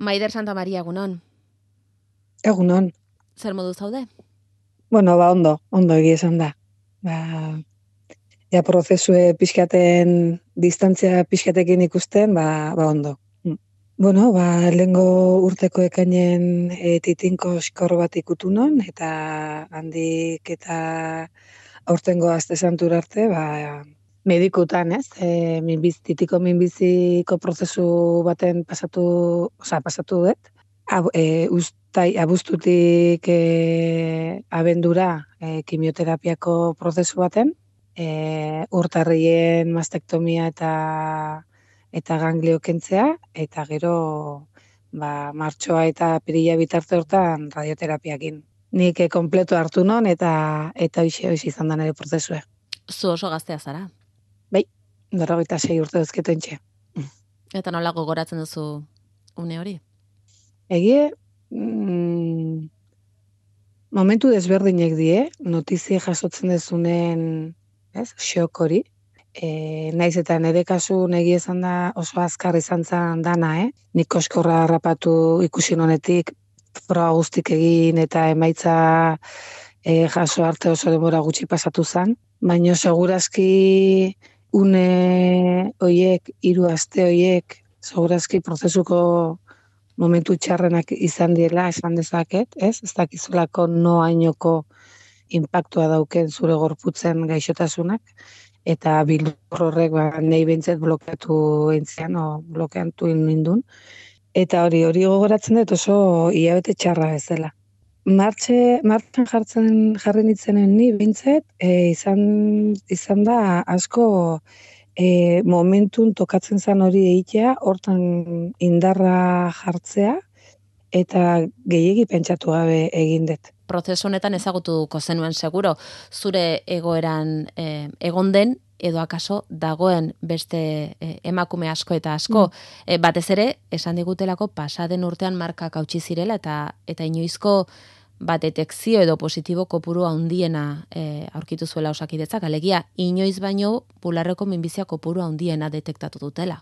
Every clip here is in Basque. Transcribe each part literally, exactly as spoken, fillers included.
Maider Santamaria, egunon. Egunon. Zer modu zaude? Bueno, ba, ondo, ondo egia esan da. Ba, ja prozesue pixkaten, distantzia pixkatekin ikusten, ba, ba ondo. Mm. Bueno, ba, lehengo urteko ekainen e, titinko skor bat ikutu non, eta handik eta aurtengo aste santura arte, ba, medikutan, ez? E, minbiz, titiko minbiziko prozesu baten pasatu, oza, pasatu dut. Ab, e, ustai, abuztutik e, abendura e, kimioterapiako prozesu baten, e, urtarrien mastektomia eta eta ganglio kentzea, eta gero ba, martxoa eta pirila bitarte hortan radioterapiakin. Nik e, kompleto hartu non eta eta hoxe hoxe izan da nire prozesua. Zu oso gaztea zara. Bai, berrogeita sei urte duzketentxe. Eta nola gogoratzen duzu une hori? Egie, mm, momentu desberdinek die, notizie jasotzen dezunen, ez, xok hori. E, naiz eta nire kasu negi esan da oso azkar izan zen dana, eh? Nik koskorra harrapatu ikusi honetik, proa guztik egin eta emaitza e, jaso arte oso denbora gutxi pasatu zen. Baina segurazki une hoiek, hiru aste hoiek, segurazki prozesuko momentu txarrenak izan diela, esan dezaket, ez? Ez dakizulako noainoko inpaktua dauken zure gorputzen gaixotasunak, eta bildur horrek ba, nahi behintzet blokeatu entzian, o blokeatu nindun. Eta hori hori gogoratzen dut oso hilabete txarra ez dela. Martxe, martxan jartzen jarri nitzenen ni behintzet, e, izan, izan da asko e, momentun tokatzen zan hori egitea, hortan indarra jartzea, eta gehiegi pentsatu gabe egin dut. Prozesu honetan ezagutuko zenuen seguro, zure egoeran eh, egon den, edo akaso dagoen beste eh, emakume asko eta asko. Mm. Eh, batez ere, esan digutelako pasaden urtean markak hautsi zirela, eta eta inoizko bat detekzio edo positibo kopuru handiena eh, aurkitu zuela Osakidetzak, alegia inoiz baino bularreko minbizia kopuru handiena detektatu dutela.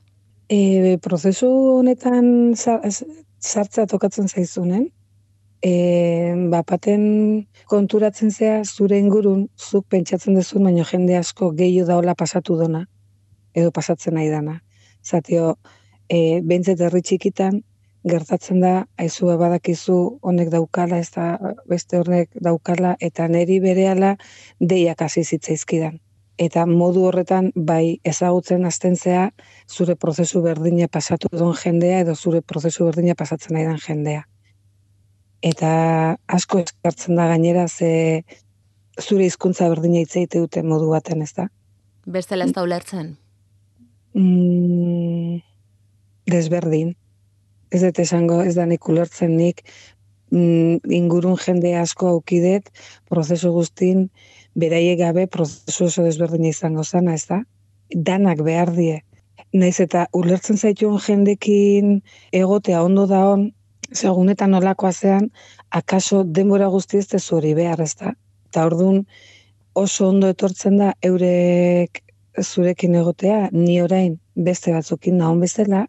E, prozesu honetan sartzea tokatzen zaizunen, e, bapaten konturatzen zea zure ingurun, zuk pentsatzen dezun, baino jende asko gehiago daola pasatu dona, edo pasatzen nahi dana. Zatio, e, behintzet herri txikitan, gertatzen da, aizu badakizu honek daukala, ez da beste honek daukala, eta neri berehala deiak hasi zitzaizkidan. Eta modu horretan, bai ezagutzen hasten zea, zure prozesu berdina pasatu duen jendea, edo zure prozesu berdina pasatzen nahi den jendea. Eta asko eskartzen da gainera, ze zure hizkuntza berdina hitz egite dute modu baten, ez da? Bestela ez da ulertzen? Mm, desberdin. Ez dut esango, ez da nik ulertzen nik, mm, ingurun jende asko aukidet, prozesu guztin, beraiek gabe prozesu oso desberdina izango zana, ez da? Danak behar die. Naiz eta ulertzen zaituen jendekin egotea ondo da on, segunetan nolakoa zean, akaso denbora guzti ez dezu hori behar, ez da? Eta orduan oso ondo etortzen da eurek zurekin egotea, ni orain beste batzukin nahon bezala,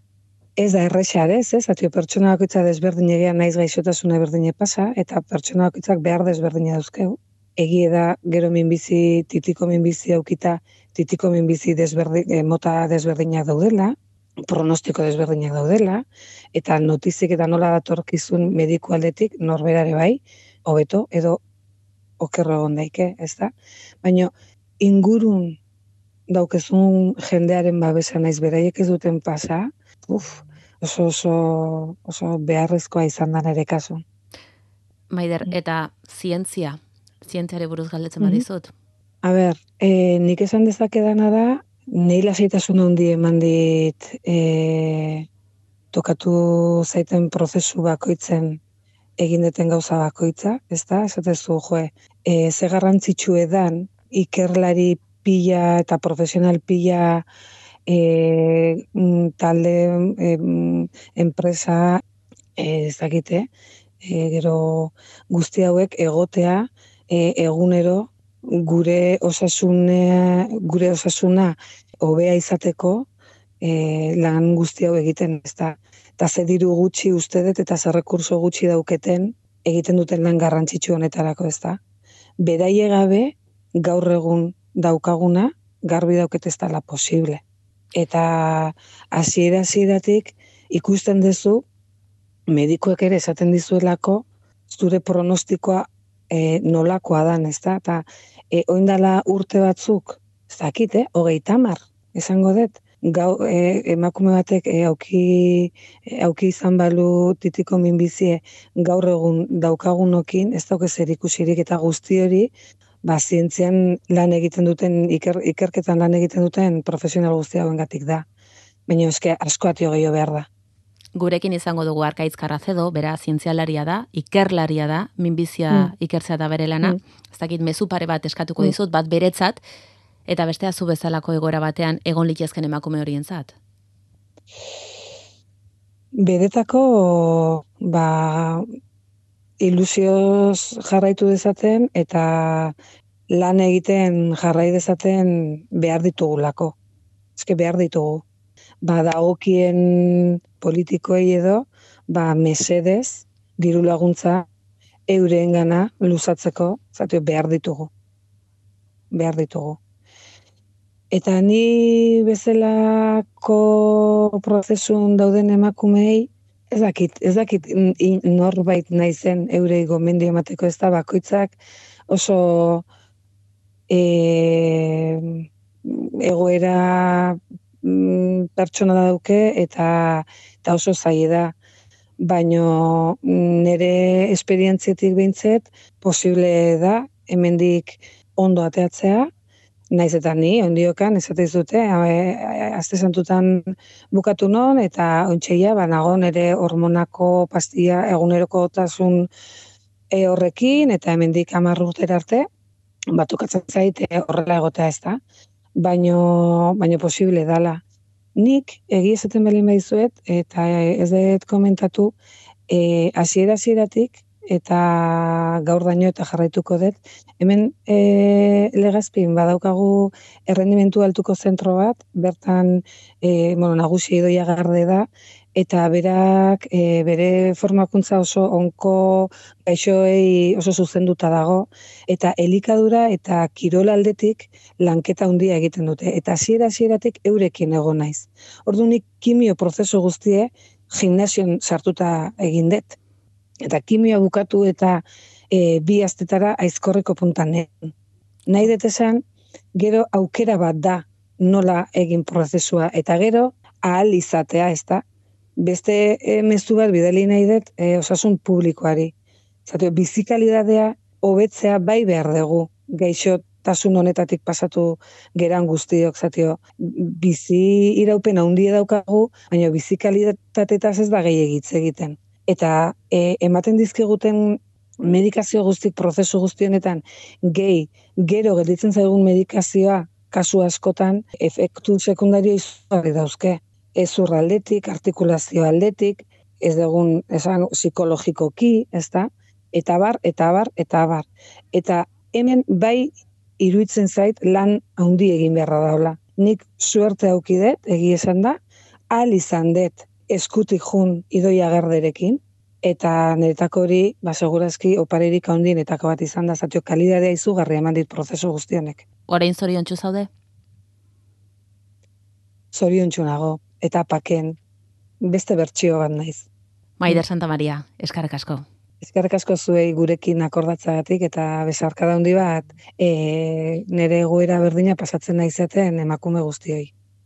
ez da errexar ez, ez? Atio pertsona bakoitza desberdin egean naiz gaixotasuna berdine pasa, eta pertsona bakoitzak behar desberdina dauzkeu. Egie da, gero minbizi, titiko minbizi aukita, titiko minbizi desberdin, eh, mota desberdinak daudela, pronostiko desberdinak daudela, eta notizik eta nola datorkizun mediku aldetik norberare bai, hobeto, edo okerro egon daike, ez da? Baina ingurun daukezun jendearen babesa naiz beraiek ez duten pasa, uf, oso, oso, oso beharrezkoa izan da nire kasu. Maider, eta zientzia, zientziare buruz galdetzen badizut? A ber, e, nik esan dezakedana da, nahi lasaitasun handi eman dit e, tokatu zaiten prozesu bakoitzen egin deten gauza bakoitza, ez da? Esatezu, joe, e, ze garrantzitsu edan ikerlari pila eta profesional pila e, talde e, enpresa e, ez dakite, e, gero guzti hauek egotea e, egunero gure osasuna, gure osasuna hobea izateko e, lan guzti hau egiten, ez da. eta ze diru gutxi uste dut eta ze rekurso gutxi dauketen egiten duten lan garrantzitsu honetarako, ez da. Beraie gabe gaur egun daukaguna garbi dauket ez dela posible. Eta hasiera hasieratik ikusten duzu medikuek ere esaten dizuelako zure pronostikoa e, nolakoa dan, ez da? Eta e, oindala urte batzuk, ez dakit, eh? hogeita hamar, esango dut, gau, e, emakume batek e, auki, e, auki izan balu titiko minbizie gaur egun daukagunokin, ez dauke zer ikusirik eta guzti hori, ba, zientzian lan egiten duten, iker, ikerketan lan egiten duten profesional guzti hauengatik da. Baina eske asko atio gehiago behar da. Gurekin izango dugu Arkaitz Carracedo, bera zientzialaria da, ikerlaria da, minbizia mm. ikertzea da bere lana. Mm. Ez dakit mezu pare bat eskatuko mm. dizut, bat beretzat, eta bestea zu bezalako egoera batean egon litezken emakume horientzat. Beretako, ba, ilusioz jarraitu dezaten eta lan egiten jarrai dezaten behar ditugulako. Eske behar ditugu. Ba, dagokien politikoei edo, ba, mesedez, diru laguntza eureengana luzatzeko, zatu behar ditugu. Behar ditugu. Eta ni bezalako prozesun dauden emakumei, ez dakit, ez dakit norbait naizen eurei gomendio emateko, ez da bakoitzak oso e, egoera pertsona dauke eta, eta oso zaila da. Baino nire esperientzietik behintzet posible da hemendik ondo ateatzea, naiz eta ni, ondiokan, esateiz dute, azte santutan bukatu non, eta ontseia, banago nire hormonako pastilla eguneroko otasun e, horrekin, eta hemendik hamar urtera arte, batukatzen zaite horrela egotea ez da. Baino, baino posible dala. Nik egia esaten belin baizuet, eta ez dut komentatu, e, hasiera hasieratik eta gaur daño eta jarraituko dut, hemen e, Legazpin badaukagu errendimentu altuko zentro bat, bertan e, bueno, nagusi Idoia Garde da, eta berak e, bere formakuntza oso onko gaixoei oso zuzenduta dago, eta elikadura eta kirol aldetik lanketa handia egiten dute. Eta hasiera hasieratik eurekin egon naiz. Orduan kimio prozesu guztie gimnasion sartuta egin dut. Eta kimioa bukatu eta e, bi astetara aizkorriko puntan egin. Nahi dut esan, gero aukera bat da nola egin prozesua, eta gero ahal izatea, ez da? Beste e, mezu bat bidali nahi dut e, osasun publikoari. Zatio, bizikalidadea hobetzea bai behar dugu, gaixotasun honetatik pasatu geran guztiok, zatio, bizi iraupen handia daukagu, baina bizikalidatetaz ez da gehiagitz egiten. Eta e, ematen dizkiguten medikazio guztik, prozesu guztionetan, gehi, gero gelditzen zaigun medikazioa, kasu askotan, efektu sekundario izugarri dauzke. Ez urra aldetik, artikulazio aldetik, ez dugun esan psikologikoki, ez da? Eta bar, eta bar, eta bar. Eta hemen bai iruditzen zait lan handi egin beharra daula. Nik suerte aukidet, egi esan da, ahal izan dut eskutik jun Idoia Garderekin, eta niretako hori, ba, segurazki oparerik handienetako bat izan da, zatio kalidadea izugarria eman dit prozesu guztionek. Orain zoriontsu zaude? Zoriontsu nago, eta paken, beste bertsio bat naiz. Maider Santa Maria, eskerrik asko. Eskerrik asko zuei gurekin akordatzagatik eta besarkada handi bat, e, nire egoera berdina pasatzen naizaten emakume guztioi.